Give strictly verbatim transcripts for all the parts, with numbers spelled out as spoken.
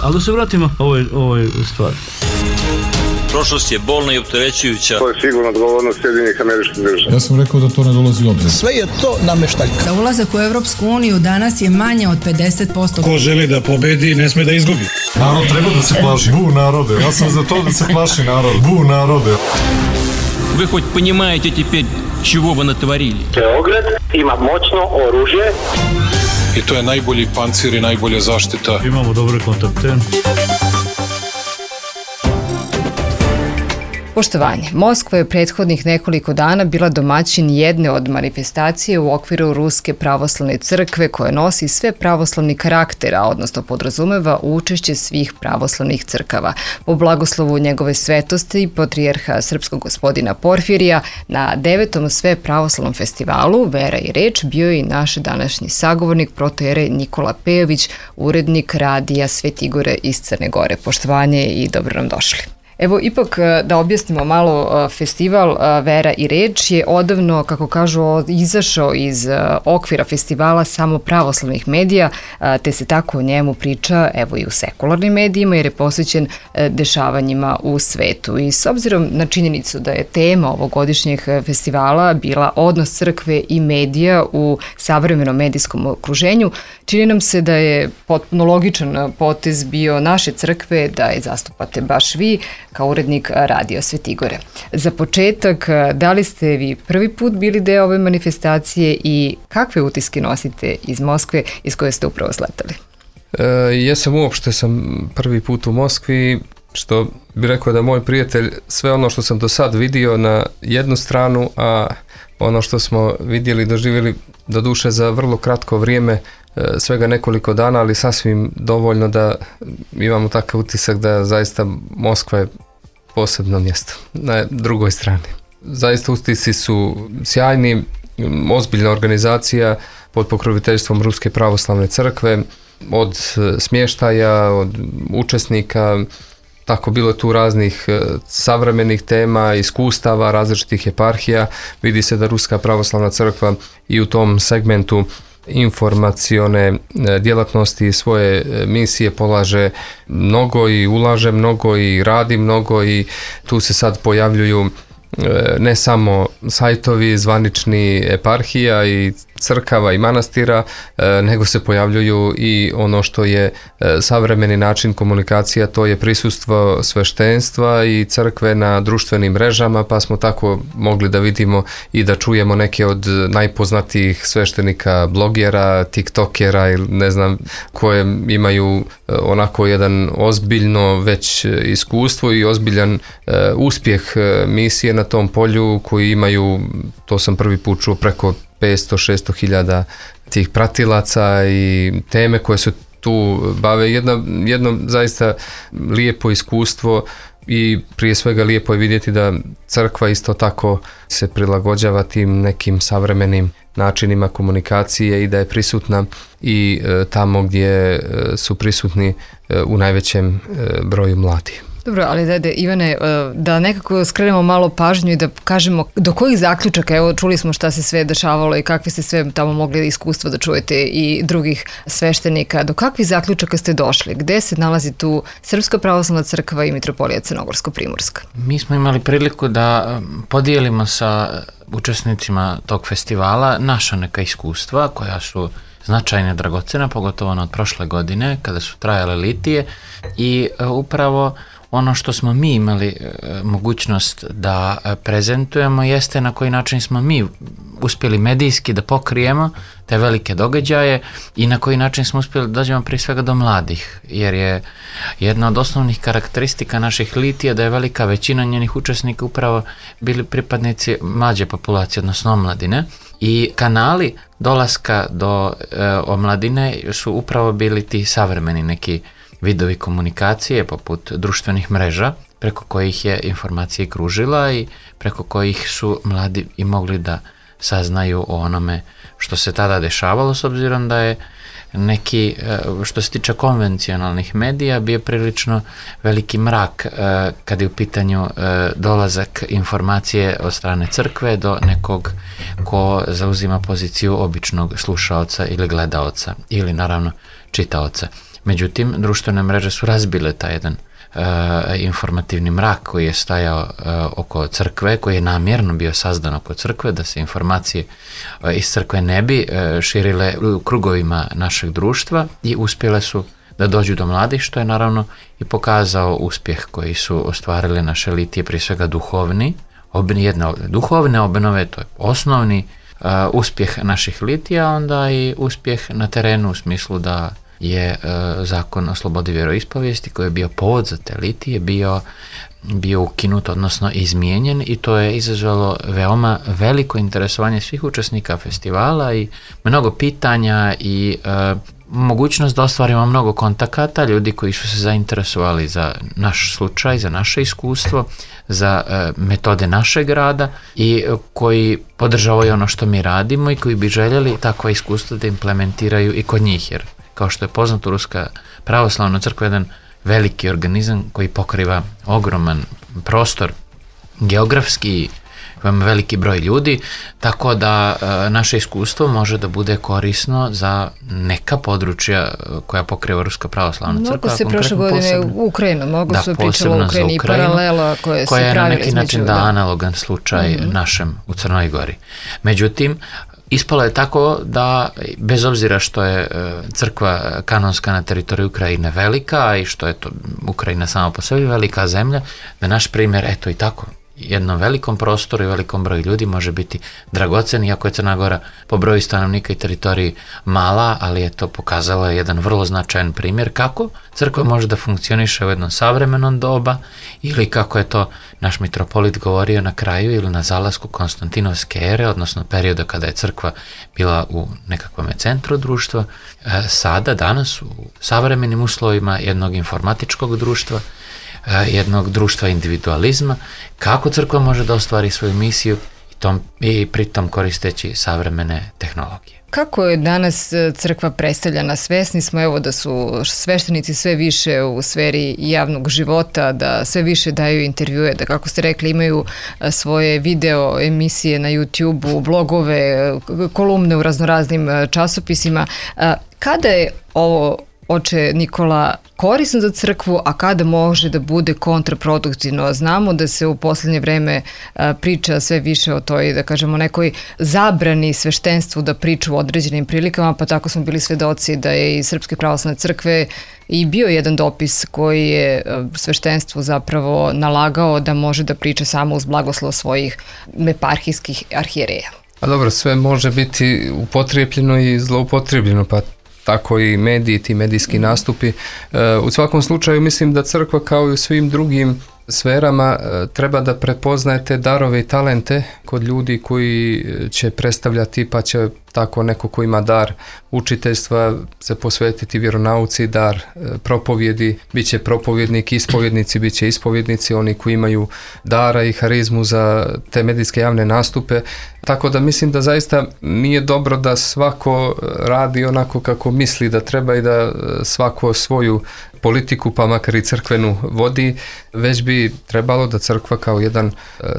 Ali da se vratimo ovoj, ovoj stvari. Prošlost je bolna i opterećujuća. To je sigurno odgovornost Sjedinjenih Američkih Država. Ja sam rekao da to ne dolazi u obzir. Sve je to nameštaljka. Da ulazak u Evropsku uniju danas je manje od pedeset posto. Ko želi da pobedi, ne sme da izgubi. Narod treba da se plaši. Bu narode. Ja sam za to da se plaši narod. Bu narode. Вы хоть понимаете теперь, чего вы натворили? Beograd ima moćno oružje. I to je najbolji pancir i najbolja zaštita. Imamo dobre kontakte. Poštovanje. Moskva je prethodnih nekoliko dana bila domaćin jedne od manifestacije u okviru Ruske pravoslavne crkve koja nosi sve pravoslavni karaktera, odnosno podrazumeva učešće svih pravoslavnih crkava. Po blagoslovu njegove svetosti, patrijarha srpskog gospodina Porfirija, na devetom sve pravoslavnom festivalu Vera i reč bio je i naš današnji sagovornik protoijerej Nikola Pejović, urednik radija Svetigore iz Crne Gore. Poštovanje i dobro nam došli. Evo, ipak da objasnimo malo, festival Vera i reč je odavno, kako kažu, izašao iz okvira festivala samo pravoslavnih medija, te se tako o njemu priča, evo, i u sekularnim medijima, jer je posvećen dešavanjima u svetu. I s obzirom na činjenicu da je tema ovogodišnjeg festivala bila odnos crkve i medija u savremenom medijskom okruženju, čini nam se da je potpuno logičan potez bio naše crkve da je zastupate baš vi, kao urednik Radio Svetigore. Za početak, da li ste vi prvi put bili deo ove manifestacije i kakve utiske nosite iz Moskve iz koje ste upravo sletali? E, jesam uopšte sam prvi put u Moskvi, što bi rekao da moj prijatelj sve ono što sam do sad vidio na jednu stranu, a ono što smo vidjeli, doživjeli do duše za vrlo kratko vrijeme, svega nekoliko dana, ali sasvim dovoljno da imamo takav utisak da zaista Moskva je posebno mjesto na drugoj strani. Zaista utisci su sjajni, ozbiljna organizacija pod pokroviteljstvom Ruske pravoslavne crkve, od smještaja, od učesnika, tako bilo tu raznih savremenih tema, iskustava, različitih eparhija. Vidi se da Ruska pravoslavna crkva i u tom segmentu informacione djelatnosti i svoje misije polaže mnogo i ulaže mnogo i radi mnogo i tu se sad pojavljuju ne samo sajtovi zvanični eparhija i crkava i manastira, nego se pojavljuju i ono što je savremeni način komunikacija, to je prisustvo sveštenstva i crkve na društvenim mrežama, pa smo tako mogli da vidimo i da čujemo neke od najpoznatijih sveštenika, blogera, tiktokera ili ne znam, koje imaju onako jedan ozbiljno već iskustvo i ozbiljan uspjeh misije na tom polju, koji imaju, to sam prvi put čuo, preko petsto do šesto hiljada tih pratilaca i teme koje se tu bave. Jedno, jedno zaista lijepo iskustvo i prije svega lijepo je vidjeti da crkva isto tako se prilagođava tim nekim savremenim načinima komunikacije i da je prisutna i e, tamo gdje e, su prisutni e, u najvećem e, broju mladih. Dobro, ali dajde, Ivane, da nekako skrenemo malo pažnju i da kažemo do kojih zaključaka, evo čuli smo šta se sve dešavalo i kakve ste sve tamo mogli iskustva da čujete i drugih sveštenika, do kakvih zaključaka ste došli? Gde se nalazi tu Srpska pravoslavna crkva i Mitropolija Crnogorsko-Primorska? Mi smo imali priliku da podijelimo sa učesnicima tog festivala naša neka iskustva koja su značajne, dragocena, pogotovo ono od prošle godine kada su trajale litije i upravo ono što smo mi imali e, mogućnost da prezentujemo jeste na koji način smo mi uspjeli medijski da pokrijemo te velike događaje i na koji način smo uspjeli da dođemo prije svega do mladih, jer je jedna od osnovnih karakteristika naših litija da je velika većina njenih učesnika upravo bili pripadnici mlađe populacije, odnosno omladine, i kanali dolaska do e, omladine su upravo bili ti savremeni neki vidovi komunikacije poput društvenih mreža preko kojih je informacija kružila i preko kojih su mladi i mogli da saznaju o onome što se tada dešavalo, s obzirom da je neki, što se tiče konvencionalnih medija, bio prilično veliki mrak kad je u pitanju dolazak informacije od strane crkve do nekog ko zauzima poziciju običnog slušaoca ili gledaoca ili naravno čitaoca. Međutim, društvene mreže su razbile taj jedan uh, informativni mrak koji je stajao uh, oko crkve, koji je namjerno bio sazdan oko crkve, da se informacije uh, iz crkve ne bi uh, širile u krugovima našeg društva i uspjele su da dođu do mladih, što je naravno i pokazao uspjeh koji su ostvarili naše litije, prije svega duhovni, obni, jedne duhovne obnove, to je osnovni uh, uspjeh naših litija, onda i uspjeh na terenu u smislu da je uh, zakon o slobodi vjeroispovijesti koji je bio povod za te litije bio, bio ukinut, odnosno izmijenjen, i to je izazvalo veoma veliko interesovanje svih učesnika festivala i mnogo pitanja i uh, mogućnost da ostvarimo mnogo kontakata, ljudi koji su se zainteresovali za naš slučaj, za naše iskustvo, za e, metode našeg rada i koji podržavaju ono što mi radimo i koji bi željeli takva iskustva da implementiraju i kod njih, jer kao što je poznato, Ruska pravoslavna crkva je jedan veliki organizam koji pokriva ogroman prostor geografski, imamo veliki broj ljudi, tako da e, naše iskustvo može da bude korisno za neka područja koja pokriva Ruska pravoslavna crkva. Mnogo se prošle godine u Ukrajinu, mnogo da, su pričalo u Ukrajini i paralela koje koja se pravi je na neki način da, analogan slučaj mm-hmm. našem u Crnoj Gori. Međutim, ispalo je tako da, bez obzira što je crkva kanonska na teritoriju Ukrajine velika i što je to Ukrajina sama po sebi velika zemlja, da naš primjer, eto i tako, jednom velikom prostoru i velikom broju ljudi može biti dragocen, iako je Crna Gora po broju stanovnika i teritoriji mala, ali je to pokazalo jedan vrlo značajan primjer kako crkva može da funkcioniše u jednom savremenom doba, ili kako je to naš mitropolit govorio na kraju ili na zalasku Konstantinovske ere, odnosno perioda kada je crkva bila u nekakvom centru društva, sada, danas, u savremenim uslovima jednog informatičkog društva, jednog društva individualizma, kako crkva može da ostvari svoju misiju i, tom, i pritom koristeći savremene tehnologije. Kako je danas crkva predstavljena? Svesni smo evo da su sveštenici sve više u sferi javnog života, da sve više daju intervjue, da kako ste rekli imaju svoje video emisije na YouTube-u, blogove, kolumne u raznoraznim časopisima. Kada je ovo, oče Nikola, korisno za crkvu, a kada može da bude kontraproduktivno? Znamo da se u posljednje vreme a, priča sve više o toj, da kažemo, nekoj zabrani sveštenstvu da priča u određenim prilikama, pa tako smo bili svedoci da je iz Srpske pravoslavne crkve i bio jedan dopis koji je sveštenstvu zapravo nalagao da može da priča samo uz blagoslov svojih eparhijskih arhijereja. A dobro, sve može biti upotrijebljeno i zloupotrijebljeno, pa tako i mediji, ti medijski nastupi. U svakom slučaju mislim da crkva, kao i u svim drugim sferama, treba da prepoznaje te darove i talente kod ljudi koji će predstavljati, pa će tako neko ko ima dar učiteljstva se posvetiti vjeronauci, dar propovjedi, bit će propovjednik, ispovjednici, bit će ispovjednici, oni koji imaju dara i harizmu za te medijske javne nastupe. Tako da mislim da zaista nije dobro da svako radi onako kako misli da treba i da svako svoju politiku, pa makar i crkvenu, vodi, već bi trebalo da crkva kao jedan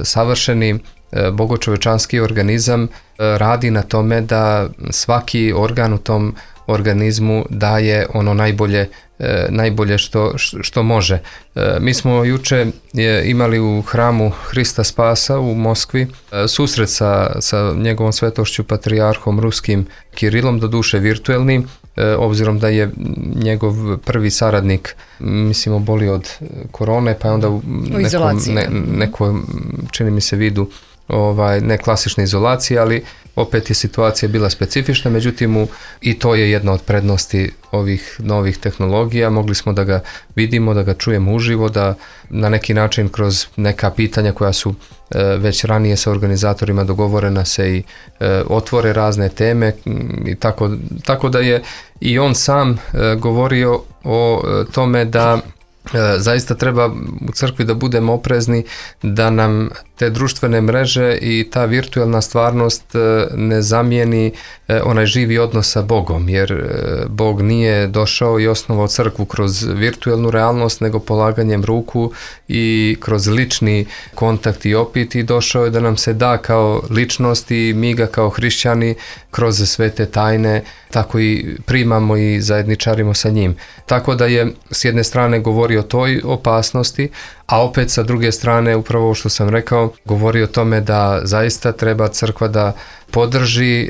savršeni bogočovečanski organizam radi na tome da svaki organ u tom organizmu daje ono najbolje, najbolje što, što može. Mi smo juče imali u hramu Hrista Spasa u Moskvi susret sa, sa njegovom svetošću patrijarhom ruskim Kirilom, doduše virtuelni, obzirom da je njegov prvi saradnik, mislim, obolio od korone, pa je onda u nekom, ne, nekom, čini mi se, vidu ovaj, ne klasične izolacije, ali opet je situacija bila specifična, međutim u, i to je jedna od prednosti ovih novih tehnologija. Mogli smo da ga vidimo, da ga čujemo uživo, da na neki način kroz neka pitanja koja su e, već ranije sa organizatorima dogovorena se i e, otvore razne teme i tako, tako da je i on sam e, govorio o e, tome da E, zaista treba u crkvi da budemo oprezni, da nam te društvene mreže i ta virtualna stvarnost e, ne zamijeni e, onaj živi odnos sa Bogom, jer e, Bog nije došao i osnovao crkvu kroz virtualnu realnost, nego polaganjem ruku i kroz lični kontakt i opit, i došao je da nam se da kao ličnost i mi ga kao hrišćani kroz svete tajne tako i primamo i zajedničarimo sa njim. Tako da je s jedne strane govorio o toj opasnosti, a opet sa druge strane upravo što sam rekao, govori o tome da zaista treba crkva da podrži e,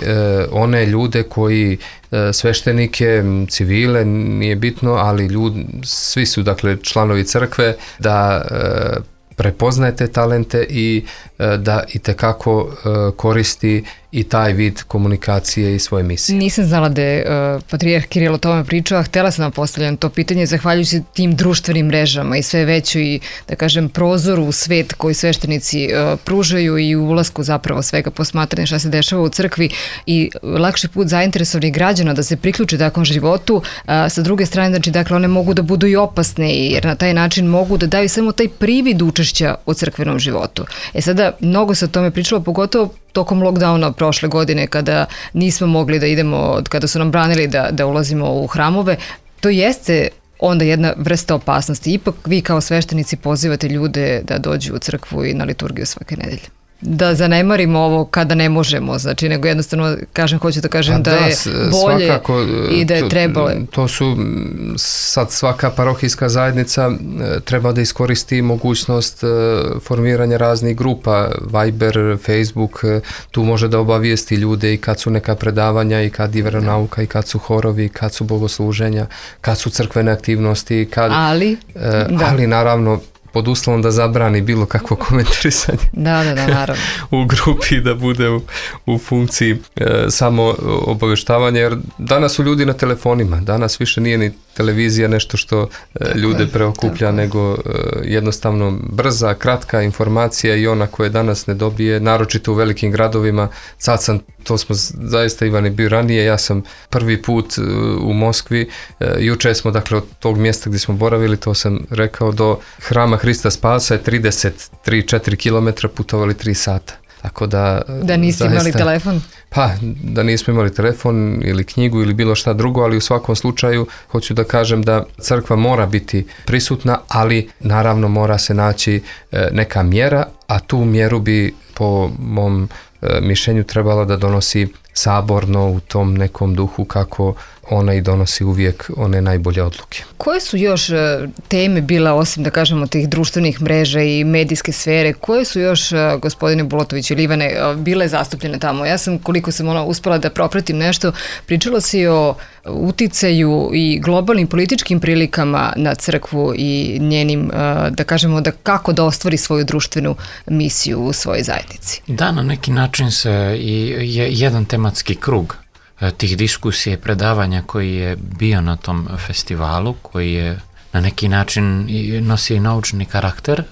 one ljude koji e, sveštenike, civile, nije bitno, ali ljudi, svi su dakle članovi crkve, da e, prepoznaje te talente i e, da itekako e, koristi i taj vid komunikacije i svoje misije. Nisam znala da je uh, patrijarh Kiril o tome pričao, a htjela sam vam postavljati to pitanje zahvaljujući tim društvenim mrežama i sve veću i, da kažem, prozoru u svet koji sveštenici uh, pružaju i u ulasku zapravo svega posmatranja šta se dešava u crkvi i lakši put zainteresovanih građana da se priključe takvom životu. Uh, sa druge strane, znači, dakle, one mogu da budu i opasne jer na taj način mogu da daju samo taj privid učešća u crkvenom životu. E sada, mnogo se o tome pričalo, pogotovo tokom lockdowna prošle godine kada nismo mogli da idemo, kada su nam branili da, da ulazimo u hramove, to jeste onda jedna vrsta opasnosti. Ipak vi kao sveštenici pozivate ljude da dođu u crkvu i na liturgiju svake nedelje. Da zanemarimo ovo kada ne možemo, znači, nego jednostavno kažem, hoću da kažem pa da, da je bolje svakako, i da je trebalo. To, to su sad svaka parohijska zajednica treba da iskoristi mogućnost formiranja raznih grupa, Viber, Facebook, tu može da obavijesti ljude i kad su neka predavanja i kad je veronauka i kad su horovi, kad su bogosluženja, kad su crkvene aktivnosti, kad, ali, da. ali naravno pod uslovom da zabrani bilo kakvo komentarisanje da, da, da, naravno. u grupi, da bude u, u funkciji e, samo obavještavanja, jer danas su ljudi na telefonima, danas više nije ni televizija nešto što e, ljude preokuplja, nego e, jednostavno brza, kratka informacija i ona koje danas ne dobije, naročito u velikim gradovima. Sad sam, to smo zaista, Ivan je bio ranije, ja sam prvi put e, u Moskvi, e, juče smo, dakle, od tog mjesta gdje smo boravili, to sam rekao, do Hrama Hrista Spasa je trideset tri četiri kilometra, putovali tri sata. Tako da... Da niste zaista, imali telefon? Pa, da nismo imali telefon ili knjigu ili bilo šta drugo, ali u svakom slučaju hoću da kažem da crkva mora biti prisutna, ali naravno mora se naći neka mjera, a tu mjeru bi po mom mišljenju trebala da donosi saborno u tom nekom duhu kako ona i donosi uvijek one najbolje odluke. Koje su još teme bile, osim da kažemo tih društvenih mreža i medijske sfere, koje su još, gospodine Bulatović ili Ivane, bile zastupljene tamo? Ja sam, koliko sam ona uspela da propratim nešto, pričala si o uticaju i globalnim političkim prilikama na crkvu i njenim, da kažemo, da kako da ostvari svoju društvenu misiju u svojoj zajednici. Da, na neki način se i je jedan tematski krug tih diskusija i predavanja koji je bio na tom festivalu, koji je na neki način nosi i naučni karakter,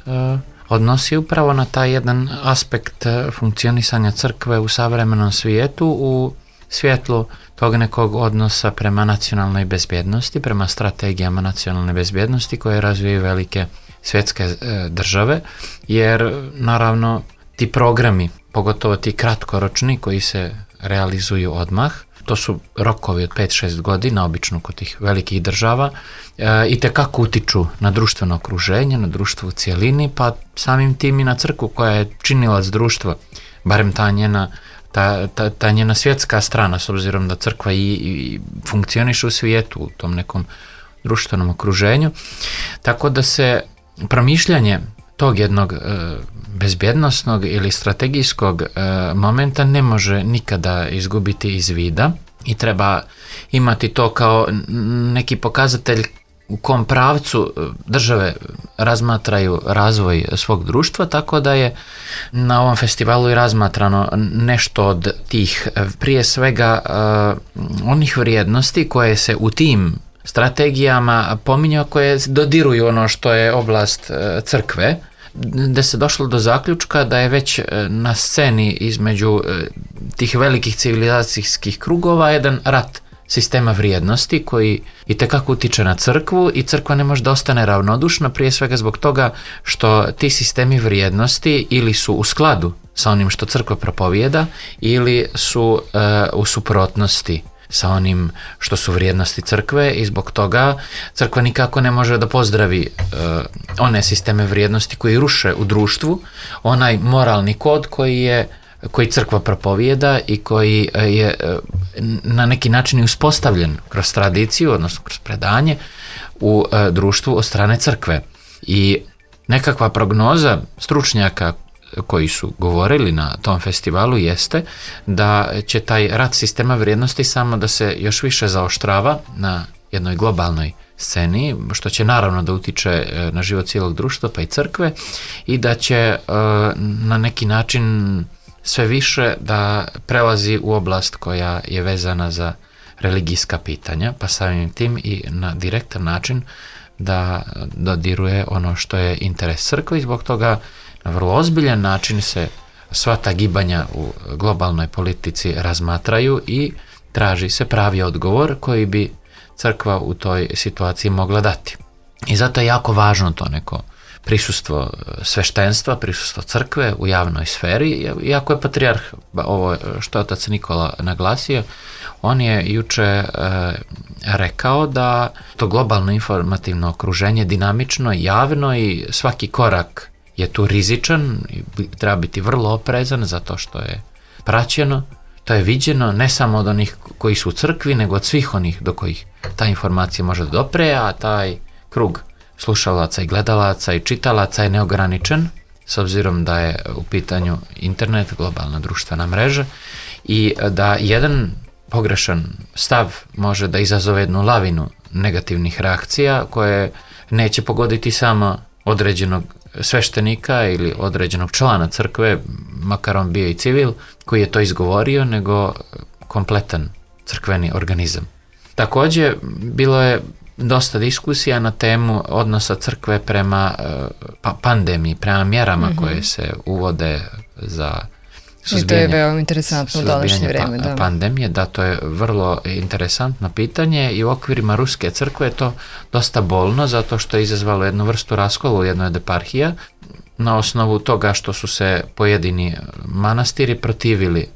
odnosi upravo na taj jedan aspekt funkcionisanja crkve u savremenom svijetu, u svjetlu tog nekog odnosa prema nacionalnoj bezbjednosti, prema strategijama nacionalne bezbjednosti koje razvijaju velike svjetske države, jer naravno ti programi, pogotovo ti kratkoročni koji se realizuju odmah, to su rokovi od pet šest godina, obično kod tih velikih država, e, i tekako utiču na društveno okruženje, na društvo u cijelini, pa samim tim i na crkvu koja je činilac društva, barem ta njena, ta, ta, ta njena svjetska strana, s obzirom da crkva i, i funkcioniše u svijetu, u tom nekom društvenom okruženju. Tako da se promišljanje tog jednog e, bezbjednosnog ili strategijskog e, momenta ne može nikada izgubiti iz vida i treba imati to kao neki pokazatelj u kom pravcu države razmatraju razvoj svog društva, tako da je na ovom festivalu i razmatrano nešto od tih, prije svega e, onih vrijednosti koje se u tim strategijama pominjao, koje dodiruju ono što je oblast e, crkve, da se došlo do zaključka da je već na sceni između tih velikih civilizacijskih krugova jedan rat sistema vrijednosti koji itekako utiče na crkvu i crkva ne može da ostane ravnodušna, prije svega zbog toga što ti sistemi vrijednosti ili su u skladu sa onim što crkva propovijeda ili su uh, u suprotnosti sa onim što su vrijednosti crkve i zbog toga crkva nikako ne može da pozdravi uh, one sisteme vrijednosti koji ruše u društvu onaj moralni kod koji je koji crkva propovijeda i koji je na neki način uspostavljen kroz tradiciju, odnosno kroz predanje u društvu od strane crkve. I nekakva prognoza stručnjaka koji su govorili na tom festivalu jeste da će taj rat sistema vrijednosti samo da se još više zaoštrava na jednoj globalnoj sceni, što će naravno da utiče na život cijelog društva pa i crkve i da će na neki način sve više da prelazi u oblast koja je vezana za religijska pitanja, pa samim tim i na direktan način da dodiruje ono što je interes crkve i zbog toga na vrlo ozbiljan način se sva ta gibanja u globalnoj politici razmatraju i traži se pravi odgovor koji bi crkva u toj situaciji mogla dati. I zato je jako važno to neko prisustvo sveštenstva, prisustvo crkve u javnoj sferi, iako je patrijarh, ovo što je otac Nikola naglasio, on je juče e, rekao da to globalno informativno okruženje dinamično, javno i svaki korak je tu rizičan i treba biti vrlo oprezan zato što je praćeno, to je viđeno ne samo od onih koji su u crkvi, nego od svih onih do kojih ta informacija može da dopre, a taj krug slušalaca i gledalaca i čitalaca je neograničen, s obzirom da je u pitanju internet, globalna društvena mreža i da jedan pogrešan stav može da izazove jednu lavinu negativnih reakcija koje neće pogoditi samo određenog sveštenika ili određenog člana crkve, makar on bio i civil, koji je to izgovorio, nego kompletan crkveni organizam. Također, bilo je dosta diskusija na temu odnosa crkve prema pa, pandemiji, prema mjerama mm-hmm. koje se uvode za suzbijanje, I to je veoma interesantno u današnje vreme. Pa, da. pandemije, da, to je vrlo interesantno pitanje i u okvirima Ruske crkve je to dosta bolno zato što je izazvalo jednu vrstu raskola u jednoj od eparhija na osnovu toga što su se pojedini manastiri protivili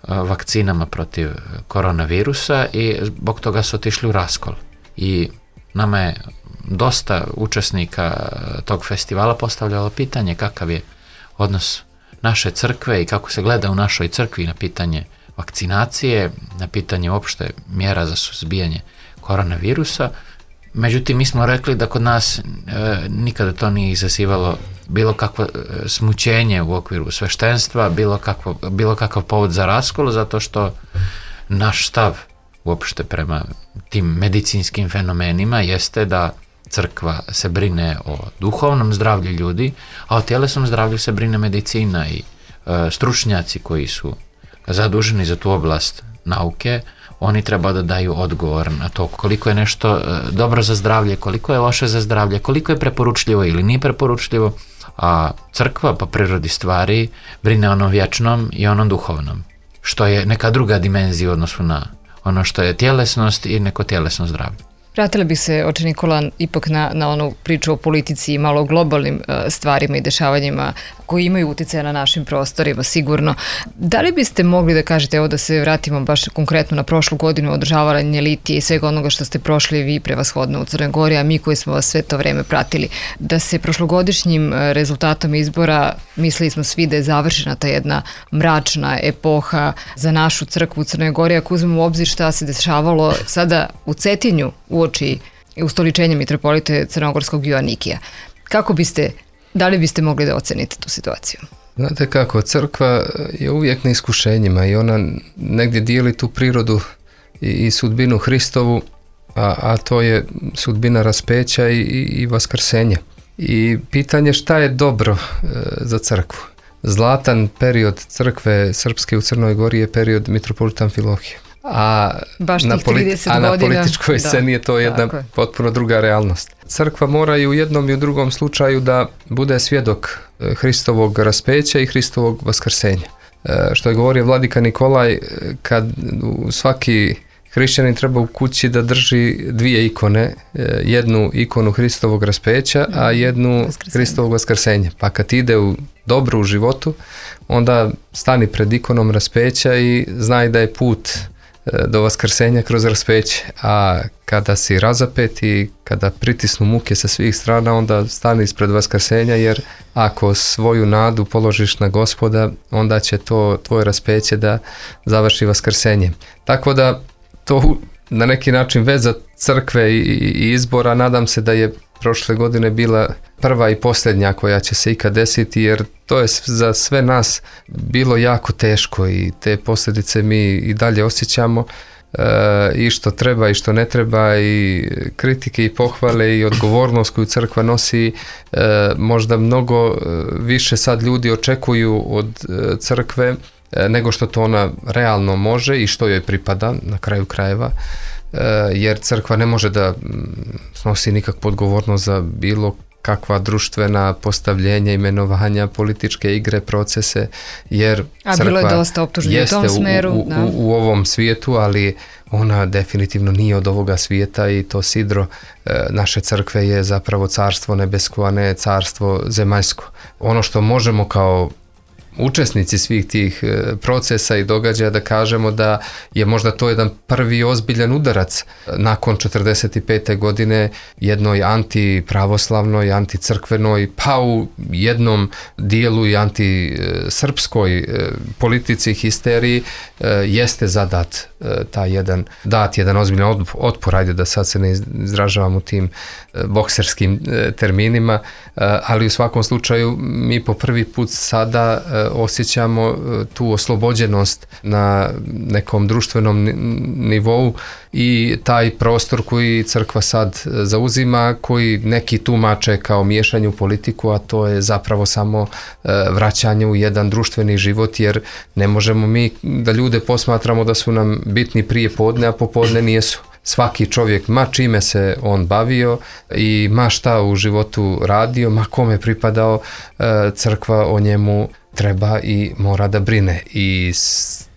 vakcinama protiv koronavirusa i zbog toga su otišli u raskol. I nama je dosta učesnika tog festivala postavljalo pitanje kakav je odnos naše crkve i kako se gleda u našoj crkvi na pitanje vakcinacije, na pitanje uopšte mjera za suzbijanje koronavirusa. Međutim, mi smo rekli da kod nas e, nikada to nije izazivalo bilo kakvo e, smućenje u okviru sveštenstva, bilo, kakvo, bilo kakav povod za raskol, zato što naš stav uopšte prema tim medicinskim fenomenima jeste da crkva se brine o duhovnom zdravlju ljudi, a o tjelesnom zdravlju se brine medicina i e, stručnjaci koji su zaduženi za tu oblast nauke, oni treba da daju odgovor na to koliko je nešto e, dobro za zdravlje, koliko je loše za zdravlje, koliko je preporučljivo ili nije preporučljivo, a crkva po prirodi stvari brine onom vječnom i onom duhovnom, što je neka druga dimenzija u odnosu na ono što je tjelesnost i neko tjelesno zdravlje. Vratili bi se, oče Nikola, ipak na, na onu priču o politici i malo o globalnim uh, stvarima i dešavanjima koji imaju utjecaja na našim prostorima, sigurno. Da li biste mogli da kažete, evo da se vratimo baš konkretno na prošlu godinu održavanje litije i svega onoga što ste prošli vi prevashodno u Crnoj Gori, a mi koji smo vas sve to vreme pratili, da se prošlogodišnjim rezultatom izbora, mislili smo svi da je završena ta jedna mračna epoha za našu crkvu u Crnoj Gori, ako uzmemo u obzir šta se dešavalo sada u Cetinju uoči ustoličenja mitropolite crnogorskog Joanikija. Kako biste, da li biste mogli da ocenite tu situaciju? Znate kako, crkva je uvijek na iskušenjima i ona negdje dijeli tu prirodu i, i sudbinu Hristovu, a, a to je sudbina raspeća i, i, i vaskrsenja. I pitanje šta je dobro e, za crkvu. Zlatan period crkve srpske u Crnoj Gori je period mitropolita Amfilohija. A, na, politi- a na političkoj sceni je to jedna je. potpuno druga realnost. Crkva mora i u jednom i u drugom slučaju da bude svjedok Hristovog raspeća i Hristovog vaskrsenja. E, što je govorio vladika Nikolaj, kad svaki hrišćanin treba u kući da drži dvije ikone, jednu ikonu Hristovog raspeća, a jednu vaskrsenja. Hristovog vaskrsenja. Pa kad ide u dobro u životu, onda stani pred ikonom raspeća i znaj da je put do vaskrsenja kroz raspeće, a kada si razapet i kada pritisnu muke sa svih strana, onda stani ispred vaskrsenja, jer ako svoju nadu položiš na Gospoda, onda će to tvoje raspeće da završi vaskrsenjem. Tako da to na neki način veza crkve i, i izbora, nadam se da je prošle godine bila prva i posljednja koja će se ikad desiti, jer to je za sve nas bilo jako teško i te posljedice mi i dalje osjećamo, e, i što treba i što ne treba, i kritike i pohvale i odgovornost koju crkva nosi. E, možda mnogo više sad ljudi očekuju od crkve e, nego što to ona realno može i što joj pripada na kraju krajeva, jer crkva ne može da snosi nikakvu odgovornost za bilo kakva društvena postavljenja, imenovanja, političke igre, procese, jer A crkva bilo je dosta optužbi u tom smeru, u, u, u ovom svijetu, ali ona definitivno nije od ovoga svijeta i to sidro e, naše crkve je zapravo carstvo nebesko, a ne carstvo zemaljsko. Ono što možemo kao učesnici svih tih procesa i događaja da kažemo da je možda to jedan prvi ozbiljan udarac nakon četrdeset pete godine jednoj antipravoslavnoj, anticrkvenoj, pa u jednom dijelu i antisrpskoj politici, histeriji, jeste zadat taj jedan, dat jedan ozbiljan otpor, ajde da sad se ne izražavam u tim bokserskim terminima, ali u svakom slučaju mi po prvi put sada osjećamo tu oslobođenost na nekom društvenom nivou i taj prostor koji crkva sad zauzima, koji neki tumače kao miješanje u politiku, a to je zapravo samo vraćanje u jedan društveni život, jer ne možemo mi da ljude posmatramo da su nam bitni prije podne, a popodne nijesu. Svaki čovjek, ma čime se on bavio i ma šta u životu radio, ma kome pripadao, crkva o njemu treba i mora da brine. I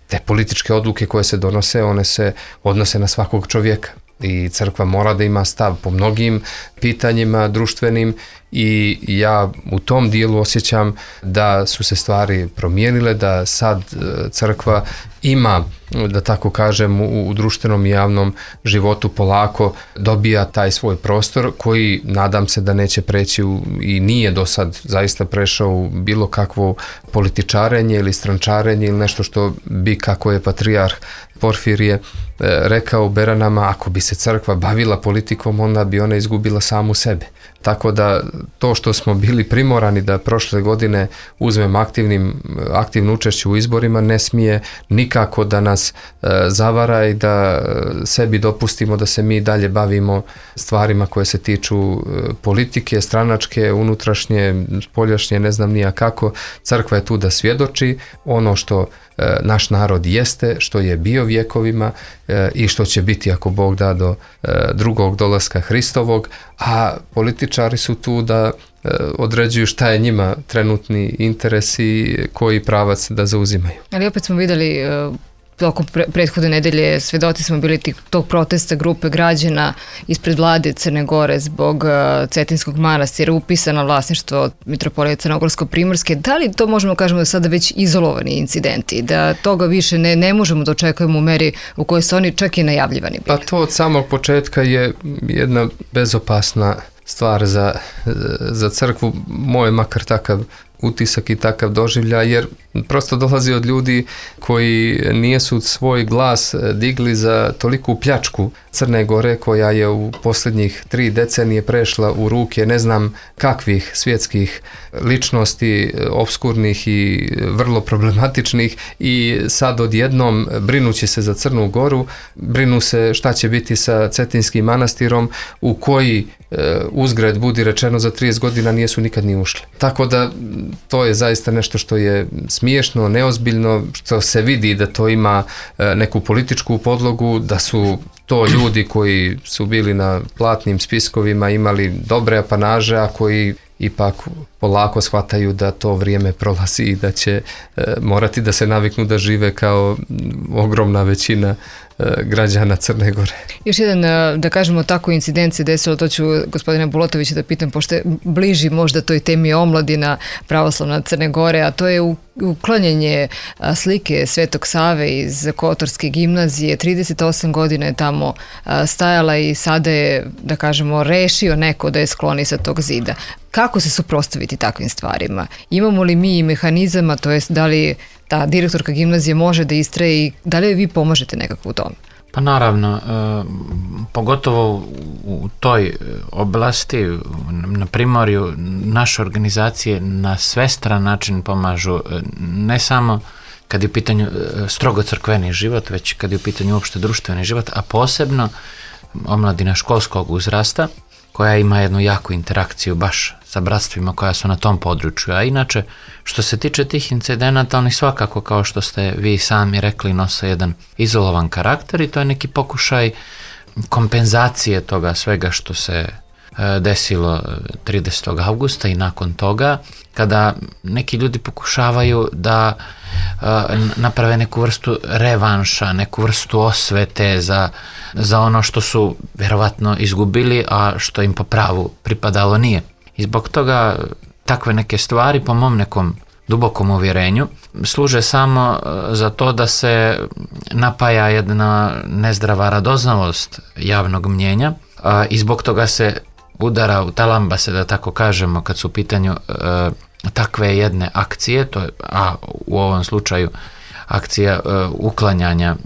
te političke odluke koje se donose, one se odnose na svakog čovjeka. I crkva mora da ima stav po mnogim pitanjima društvenim i ja u tom dijelu osjećam da su se stvari promijenile, da sad crkva ima, da tako kažem, u, u društvenom i javnom životu polako dobija taj svoj prostor koji nadam se da neće preći u, i nije do sad zaista prešao u bilo kakvo političarenje ili strančarenje ili nešto što bi, kako je patrijarh Porfirije rekao u Beranama, ako bi se crkva bavila politikom, onda bi ona izgubila samu sebe. Tako da to što smo bili primorani da prošle godine uzmemo aktivnim, aktivno učešće u izborima ne smije nikako da nas e, zavara i da sebi dopustimo da se mi dalje bavimo stvarima koje se tiču e, politike, stranačke, unutrašnje, spoljašnje, ne znam nija kako. Crkva je tu da svjedoči ono što e, naš narod jeste, što je bio vjekovima e, i što će biti ako Bog da do e, drugog dolaska Hristovog, a političari su tu da e, određuju šta je njima trenutni interes i koji pravac da zauzimaju. Ali opet smo vidjeli e, tokom pre- prethodne nedelje, svedoci smo bili tih, tog protesta grupe građana ispred vlade Crne Gore zbog uh, Cetinskog manastira, upisano vlasništvo mitropolije Crnogorsko-Primorske. Da li to možemo kažemo da sada već izolovani incidenti, da toga više ne, ne možemo da očekujemo u meri u kojoj su oni čak i najavljivani bili? Pa to od samog početka je jedna bezopasna stvar za, za crkvu, moj makar takav utisak i takav doživljaj, jer prosto dolazi od ljudi koji nijesu svoj glas digli za toliku pljačku Crne Gore koja je u posljednjih tri decenije prešla u ruke ne znam kakvih svjetskih ličnosti, obskurnih i vrlo problematičnih, i sad odjednom brinući se za Crnu Goru, brinu se šta će biti sa Cetinskim manastirom u koji uzgred budi rečeno za trideset godina nijesu nikad ni ušli. Tako da to je zaista nešto što je smiješno, neozbiljno, što se vidi da to ima neku političku podlogu, da su to ljudi koji su bili na platnim spiskovima, imali dobre apanaže, a koji ipak polako shvataju da to vrijeme prolazi i da će e, morati da se naviknu da žive kao ogromna većina građana Crne Gore. Još jedan, da kažemo tako, incident se desilo, to ću gospodina Bulotovića da pitam, pošto je bliži možda toj temi omladina pravoslavna Crne Gore, a to je uklanjanje slike Svetog Save iz Kotorske gimnazije. trideset osam godina je tamo stajala i sada je, da kažemo, rešio neko da je skloni sa tog zida. Kako se suprotstaviti takvim stvarima? Imamo li mi mehanizama, to jest da li ta direktorka gimnazije može da istraje i da li vi pomožete nekako u tome? Pa naravno, e, pogotovo u toj oblasti, na Primorju, naše organizacije na svestran način pomažu, ne samo kad je u pitanju strogo crkveni život, već kad je u pitanju uopšte društveni život, a posebno omladina školskog uzrasta, koja ima jednu jaku interakciju baš sa bratstvima koja su na tom području. A inače, što se tiče tih incidenata, oni svakako, kao što ste vi sami rekli, nose jedan izolovan karakter i to je neki pokušaj kompenzacije toga svega što se desilo tridesetog avgusta i nakon toga, kada neki ljudi pokušavaju da naprave neku vrstu revanša, neku vrstu osvete za, za ono što su vjerovatno izgubili, a što im po pravu pripadalo nije. I zbog toga takve neke stvari, po mom nekom dubokom uvjerenju, služe samo za to da se napaja jedna nezdrava radoznalost javnog mnjenja i zbog toga se udara u talambase, da tako kažemo, kad su u pitanju e, takve jedne akcije, to je, a u ovom slučaju akcija e, uklanjanja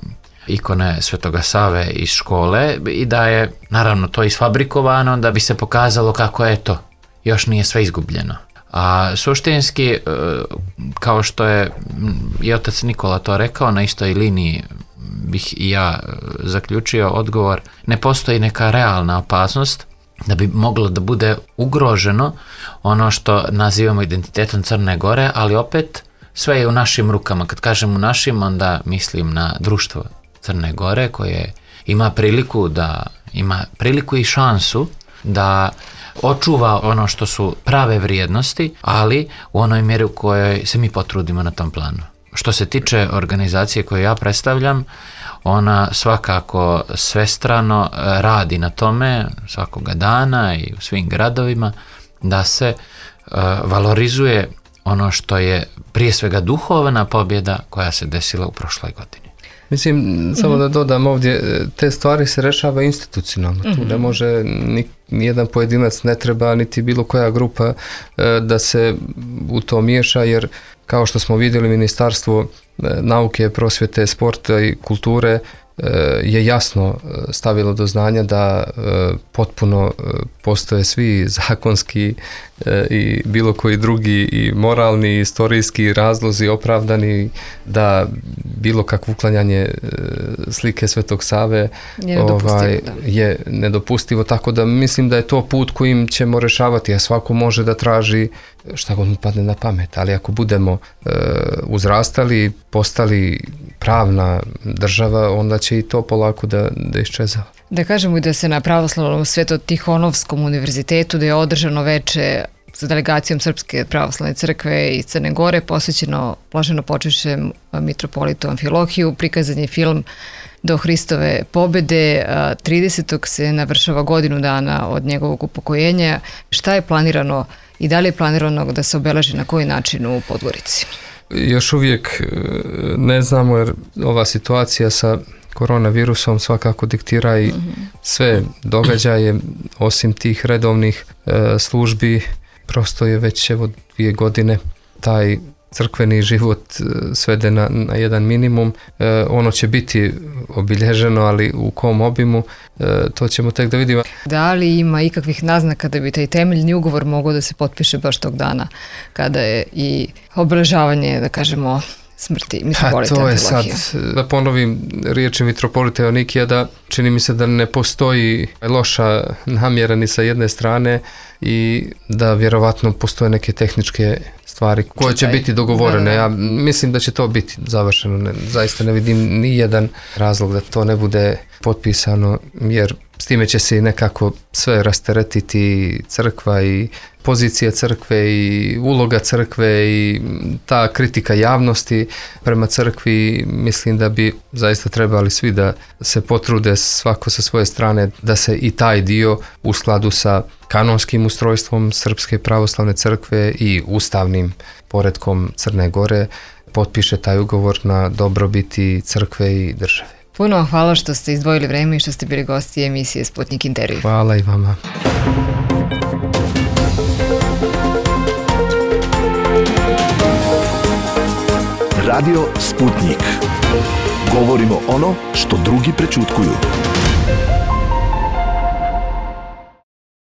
ikone Svetoga Save iz škole, i da je naravno to isfabrikovano da bi se pokazalo kako je to, još nije sve izgubljeno. A suštinski, e, kao što je i otac Nikola to rekao, na istoj liniji bih i ja zaključio odgovor, ne postoji neka realna opasnost da bi moglo da bude ugroženo ono što nazivamo identitetom Crne Gore, ali opet sve je u našim rukama. Kad kažem u našim, onda mislim na društvo Crne Gore koje ima priliku da ima priliku i šansu da očuva ono što su prave vrijednosti, ali u onoj mjeri u kojoj se mi potrudimo na tom planu. Što se tiče organizacije koju ja predstavljam, ona svakako svestrano radi na tome svakoga dana i u svim gradovima da se uh, valorizuje ono što je prije svega duhovna pobjeda koja se desila u prošloj godini. Mislim, samo da dodam ovdje, te stvari se rešava institucionalno. Mm-hmm. Tu ne može ni, nijedan pojedinac, ne treba niti bilo koja grupa da se u to miješa, jer kao što smo vidjeli, Ministarstvo nauke, prosvjete, sporta i kulture je jasno stavilo do znanja da potpuno postoje svi zakonski i bilo koji drugi i moralni, istorijski razlozi opravdani da bilo kakvo uklanjanje slike Svetog Save je nedopustivo, ovaj, je nedopustivo, tako da mislim da je to put kojim ćemo rešavati, a svako može da traži šta god mu padne na pamet, ali ako budemo e, uzrastali, postali pravna država, onda će i to polako da, da iščezava. Da kažemo i da se na Pravoslavnom Sveto-Tihonovskom univerzitetu, da je održano veče sa delegacijom Srpske pravoslavne crkve iz Crne Gore, posvećeno blaženopočivšem mitropolitu Amfilohiju, prikazan je film Do Hristove pobede, tridesetog se navršava godinu dana od njegovog upokojenja. Šta je planirano i da li je planirano da se obeleži na koji način u Podgorici? Još uvijek ne znamo, jer ova situacija sa koronavirusom svakako diktira i sve događaje, osim tih redovnih e, službi. Prosto je već evo dvije godine taj crkveni život svede na, na jedan minimum. E, ono će biti obilježeno, ali u kom obimu, e, to ćemo tek da vidimo. Da li ima ikakvih naznaka da bi taj temeljni ugovor mogao da se potpiše baš tog dana kada je i obeležavanje, da kažemo, smrti mitropolita Amfilohija? To je sad, da ponovim riječi mitropolita Joanikija, da čini mi se da ne postoji loša namjera ni sa jedne strane i da vjerovatno postoje neke tehničke stvari koje će biti dogovorene. Ja mislim da će to biti završeno. Ne, zaista ne vidim ni jedan razlog da to ne bude potpisano, jer s time će se nekako sve rasteretiti, crkva i pozicija crkve i uloga crkve i ta kritika javnosti prema crkvi. Mislim da bi zaista trebali svi da se potrude svako sa svoje strane da se i taj dio u skladu sa kanonskim ustrojstvom Srpske pravoslavne crkve i ustavnim poretkom Crne Gore potpiše taj ugovor na dobrobiti crkve i države. Puno vam hvala što ste izdvojili vreme i što ste bili gosti emisije Sputnik Intervju. Hvala i vama. Radio Sputnik. Govorimo ono što drugi prečutkuju.